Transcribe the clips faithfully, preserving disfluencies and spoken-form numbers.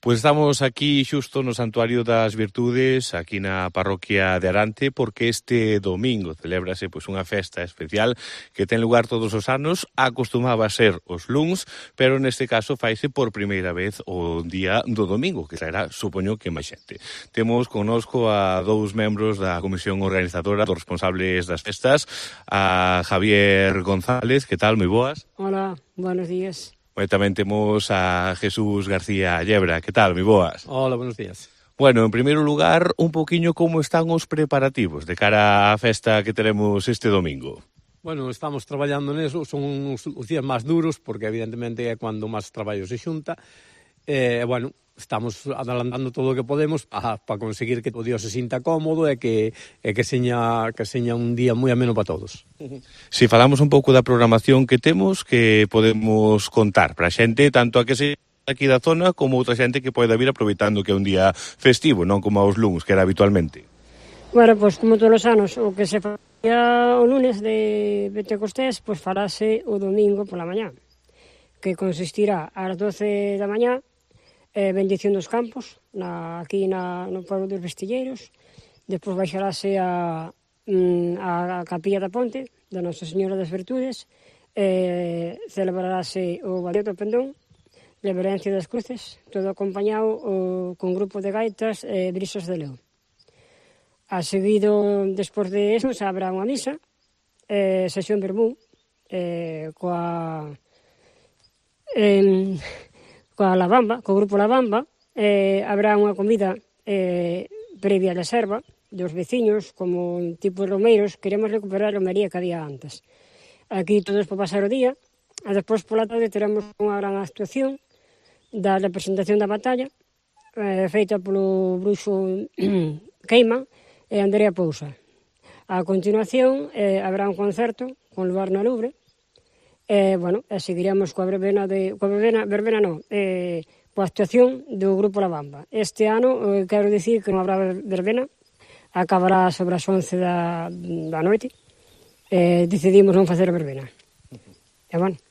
Pois estamos aquí xusto no Santuario das Virtudes, aquí na parroquia de Arante, porque este domingo celébrase pois unha festa especial que ten lugar todos os anos, acostumaba a ser os luns, pero neste caso faise por primeira vez o día do domingo, que será, supoño que máis xente. Temos connosco a dous membros da comisión organizadora, dos responsables das festas, a Javier González, que tal, moi boas? Hola, buenos días. E tamén temos a Jesús García Llebra. Que tal, moi boas? Hola, buenos días. Bueno, en primeiro lugar, un poquinho como están os preparativos de cara á festa que teremos este domingo. Bueno, estamos traballando neso, son os, os días máis duros, porque evidentemente é cando máis traballo se xunta. E, eh, bueno, estamos adelantando todo o que podemos para pa conseguir que o Dios se sinta cómodo e que, e que seña, que seña un día moi ameno para todos. Si falamos un pouco da programación que temos, que podemos contar para a xente, tanto a que se aquí da zona como outra xente que poida vir aproveitando que é un día festivo, non como aos luns, que era habitualmente. Bueno, pois como todos os anos, o que se facía o lunes de Pentecostés, pois farase o domingo pola mañá, que consistirá ás doce da mañá, eh, bendición dos campos, na, aquí na, no pueblo dos Vestilleiros, despois baixarase a, a, a Capilla da Ponte, da Nosa Señora das Virtudes, eh, celebrarase o Baleo do Pendón, Reverencia das Cruces, todo acompañado o, con grupo de gaitas e eh, brisas de León. A seguido, despois de eso, se habrá unha misa, eh, sesión vermú, eh, coa... Eh, coa La Bamba, co grupo La Bamba, eh, habrá unha comida eh, previa a reserva dos veciños, como tipo romeiros, queremos recuperar a romería que había antes. Aquí todos para pasar o día, e despois pola tarde teremos unha gran actuación da representación da batalla, eh, feita polo bruxo Queima e Andrea Pousa. A continuación eh, habrá un concerto con lugar na Louvre, e, bueno, e seguiremos coa verbena, de, coa verbena, verbena non, eh, coa actuación do Grupo La Bamba. Este ano, eh, quero dicir que non habrá verbena, acabará sobre as once da, da noite, eh, decidimos non facer verbena. E, bueno,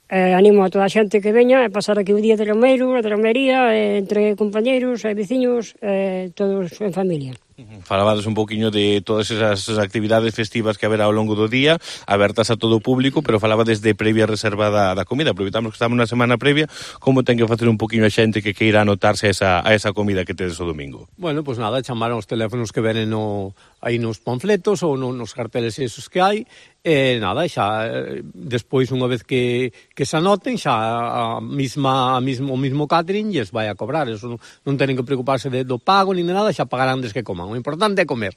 eh, animo a toda a xente que veña e pasar aquí o día de romeiro, de romería, eh, entre compañeiros e veciños, eh, todos en familia. Falabades un poquinho de todas esas actividades festivas que haberá ao longo do día, abertas a todo o público, pero falabades de previa reserva da, da comida. Aproveitamos que estamos na semana previa, como ten que facer un poquinho a xente que queira anotarse a esa, a esa comida que tedes o domingo? Bueno, pois pues nada, chamaron os teléfonos que venen no, aí nos panfletos ou no, nos carteles esos que hai, e nada, xa despois unha vez que, que se anoten, xa a misma, a mismo, o mismo catering lles vai a cobrar, eso non, non tenen que preocuparse de, do pago ni de nada, xa pagarán des que coman. O importante é comer.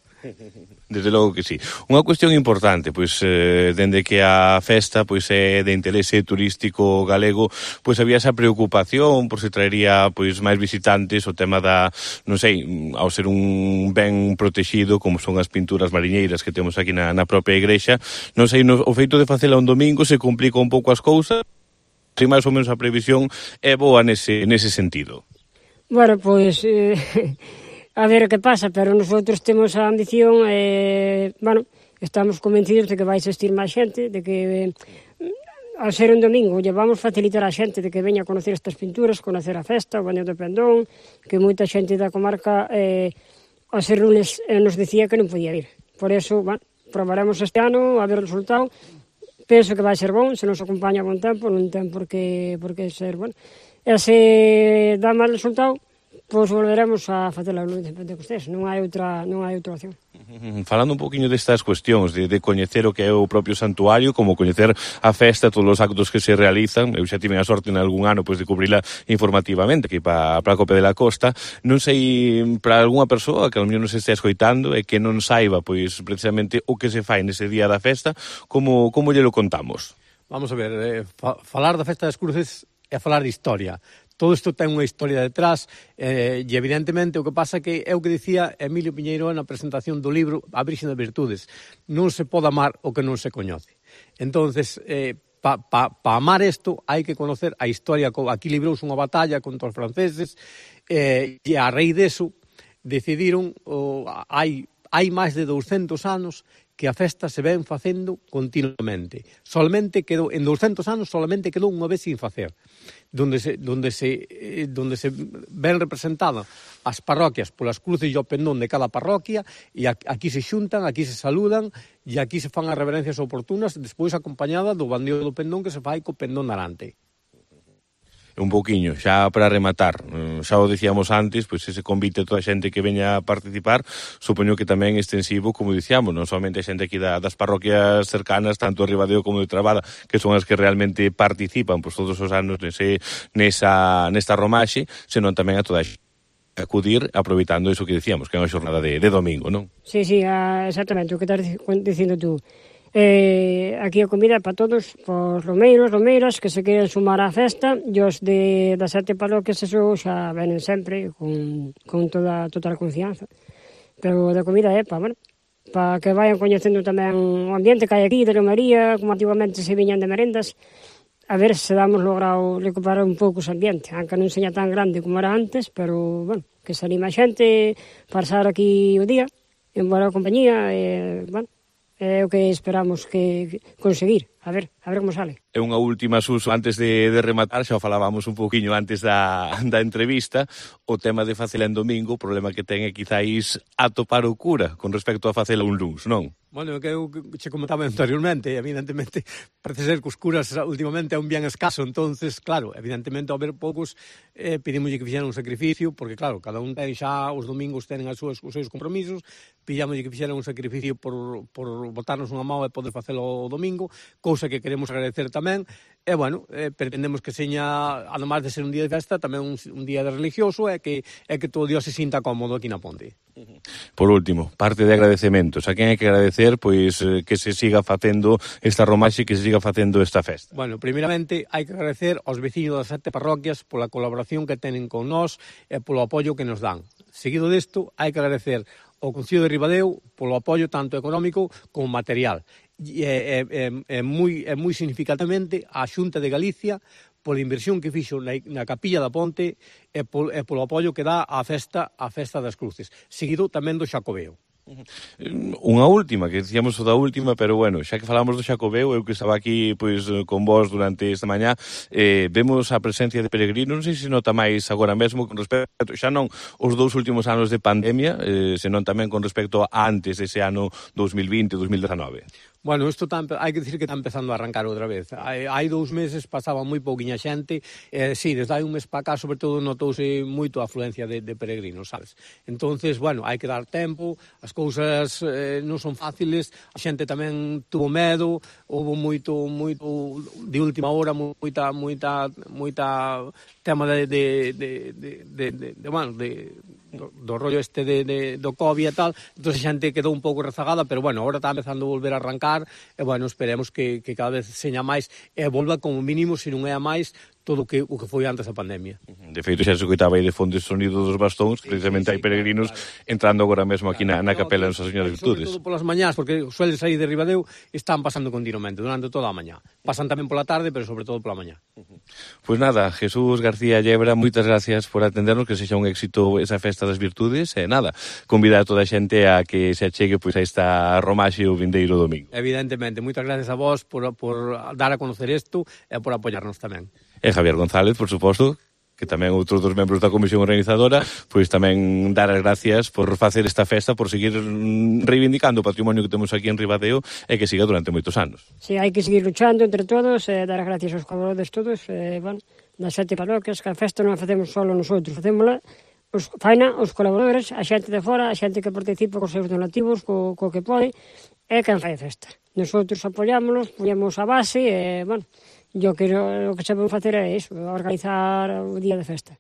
Desde logo que sí. Unha cuestión importante, pois, eh, dende que a festa pois é de interese turístico galego, pois había esa preocupación por se traería pois máis visitantes, o tema da, non sei, ao ser un ben protegido, como son as pinturas mariñeiras que temos aquí na, na propia igrexa, non sei, no, o feito de facela un domingo se complica un pouco as cousas, se máis ou menos a previsión é boa nese, nese sentido. Bueno, pois... Eh... A ver que pasa, pero nosotros temos a ambición, eh, bueno, estamos convencidos de que vai existir máis xente, de que, eh, ao ser un domingo, lle vamos facilitar a xente de que veña a conocer estas pinturas, conocer a festa, o Baleo do Pendón, que moita xente da comarca, eh, ao ser lunes, eh, nos dicía que non podía ir. Por eso, bueno, probaremos este ano, a ver o resultado, penso que vai ser bon, se nos acompaña bon tempo, non ten por que, por que ser, bueno, e se dá mal resultado, pois volveremos a facer a luz de Pentecostés, non hai outra, non hai outra opción. Falando un poquinho destas cuestións, de, de coñecer o que é o propio santuario, como coñecer a festa, todos os actos que se realizan, eu xa tive a sorte en algún ano pois, de cubrirla informativamente, aquí para a Cope de la Costa, non sei, para algunha persoa que ao mellor non se estea escoitando e que non saiba, pois, precisamente o que se fai nese día da festa, como, como lle lo contamos? Vamos a ver, eh, fa falar da Festa das Cruces é falar de historia. Todo isto ten unha historia detrás, eh, e evidentemente o que pasa que é o que dicía Emilio Piñeiro na presentación do libro A Virxe das Virtudes. Non se pode amar o que non se coñece. Entonces, eh, para pa, pa amar isto hai que conocer a historia. Aquí librouse unha batalla contra os franceses, eh, e a raíz deso decidiron, oh, hai, hai máis de douscentos anos, que a festa se ven facendo continuamente. Solamente quedou, en douscentos anos, solamente quedou unha vez sin facer. Donde se, donde se, eh, donde se ven representadas as parroquias polas cruces e o pendón de cada parroquia, e aquí se xuntan, aquí se saludan, e aquí se fan as reverencias oportunas, despois acompañada do bandeo do pendón que se fai co pendón narante. Un pouquiño, xa para rematar, xa o dicíamos antes, pois ese convite a toda a xente que veña a participar, supoño que tamén é extensivo, como dicíamos, non somente a xente aquí da, das parroquias cercanas, tanto de Ribadeo como de Trabada, que son as que realmente participan pois todos os anos nese, nesa, nesta romaxe, senón tamén a toda a xente acudir aproveitando iso que dicíamos, que é unha xornada de, de domingo, non? Sí, sí, a, exactamente, o que estás dicindo tú. Eh, aquí a comida para todos, os romeiros, romeiras que se queren sumar á festa, e os de, das sete parroquias eso xa venen sempre con, con toda, toda a confianza, pero da comida é para, bueno, para que vayan coñecendo tamén o ambiente que hai aquí de romería, como antiguamente se viñan de merendas, a ver se damos logrado recuperar un pouco ese ambiente, aunque non seña tan grande como era antes, pero, bueno, que se anima a xente pasar aquí o día en boa compañía, e, bueno, é o que esperamos que conseguir. A ver, a ver como sale. É unha última, Suso, antes de, de rematar, xa o falábamos un pouquiño antes da, da entrevista, o tema de facela en domingo, o problema que ten é quizáis atopar o cura con respecto a facela un luns, non? Bueno, que eu che comentaba anteriormente, evidentemente, parece ser que os curas últimamente é un bien escaso, entonces, claro, evidentemente, ao ver poucos, eh, pedimos que fixeran un sacrificio, porque, claro, cada un ten xa os domingos tenen as súas, os seus compromisos, pillamos que fixeran un sacrificio por, por botarnos unha mão e poder facelo o domingo, cousa que queremos agradecer tamén, e, bueno, eh, pretendemos que seña, además de ser un día de festa, tamén un, un día de religioso, e que, e que todo Dios se sinta cómodo aquí na Ponte. Por último, parte de agradecementos. A quen hai que agradecer, pois, eh, que se siga facendo esta romaxe, que se siga facendo esta festa? Bueno, primeiramente, hai que agradecer aos veciños das sete parroquias pola colaboración que tenen con nós e polo apoio que nos dan. Seguido desto, hai que agradecer ao Concello de Ribadeo polo apoio tanto económico como material. E é, é, é, moi, é moi significativamente a Xunta de Galicia pola inversión que fixo na, na Capilla da Ponte e, pol, e polo apoio que dá á festa, á festa das Cruces, seguido tamén do Xacobeo. Unha última, que dicíamos o da última, pero bueno, xa que falamos do Xacobeo, eu que estaba aquí pois con vos durante esta mañá, eh, vemos a presencia de peregrinos, non sei se nota máis agora mesmo con respecto, xa non os dous últimos anos de pandemia, eh, senón tamén con respecto a antes dese ano dos mil vinte, dos mil dezenove. Bueno, isto tá, hai que dicir que está empezando a arrancar outra vez. Hai, hai dous meses pasaba moi pouquiña xente, eh, sí, desde hai un mes para cá, sobre todo, notouse moito a afluencia de, de peregrinos, sabes? Entonces, bueno, hai que dar tempo, as cousas eh, non son fáciles, a xente tamén tuvo medo, houve moito, moito, de última hora, moita, moita, moita tema de, de, de, de, de, de, de bueno, de... Do, do rollo este de, de, do COVID e tal, entón a xente quedou un pouco rezagada, pero bueno, agora está empezando a volver a arrancar, e bueno, esperemos que, que cada vez seña máis e volva como mínimo, se non é a máis, todo o que, o que foi antes da pandemia. De feito, xa se escoitaba aí de fondo o sonido dos bastóns, sí, precisamente sí, sí, hai peregrinos claro, entrando agora mesmo aquí claro, na, na capela de Nosa Señora de Virtudes. Sobre todo polas mañás, porque suelen sair de Ribadeo, están pasando continuamente, durante toda a mañá. Pasan tamén pola tarde, pero sobre todo pola mañá. Pois nada, Jesús García Llebra, moitas gracias por atendernos, que sexa un éxito esa festa das virtudes, e nada, convidar a toda a xente a que se achegue pois a esta romaxe o vindeiro domingo. Evidentemente, moitas gracias a vos por, por dar a conocer isto e por apoiarnos tamén. E Javier González, por suposto, que tamén outros dos membros da comisión organizadora, pois tamén dar as gracias por facer esta festa, por seguir reivindicando o patrimonio que temos aquí en Ribadeo e que siga durante moitos anos. Sí, hai que seguir luchando entre todos, e dar as gracias aos colaboradores todos, e, bueno, das sete parroquias, que a festa non a facemos solo nosotros, facémola os, faina os colaboradores, a xente de fora, a xente que participa cos seus donativos, co, co que pode, é quen fai a festa. Nosotros apoiámonos, poñemos a base, e, bueno, yo creo que o que sabemos facer é iso, organizar o día de festa.